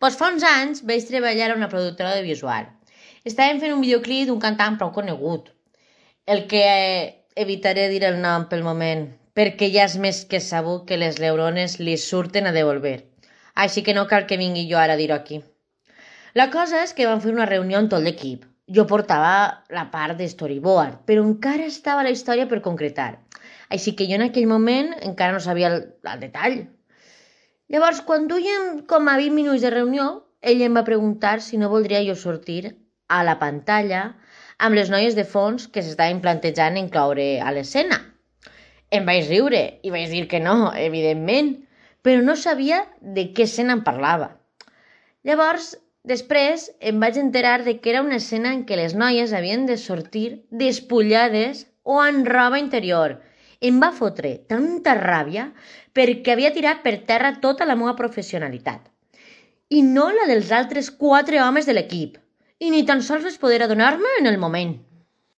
Doncs fa uns anys vaig treballar a una productora audiovisual. Estàvem fent un videoclip d'un cantant prou conegut, el que evitaré dir el nom pel moment, perquè ja és més que sabut que les neurones li surten a devolver. Així que no cal que vingui jo ara a dir-ho aquí. La cosa és que vam fer una reunió amb tot l'equip. Jo portava la part de storyboard, però encara estava la història per concretar. Així que jo en aquell moment encara no sabia el detall. Llavors, quan duien com a 20 minuts de reunió, ell em va preguntar si no voldria jo sortir a la pantalla amb les noies de fons que s'estaven plantejant incloure a l'escena. Em vaig riure i vaig dir que no, evidentment, però no sabia de què escena em parlava. Llavors, després em vaig enterar de que era una escena en què les noies havien de sortir despullades o en roba interior. Em va fotre tanta ràbia perquè havia tirat per terra tota la meva professionalitat. I no la dels altres 4 homes de l'equip. I ni tan sols vaig poder adonar-me en el moment.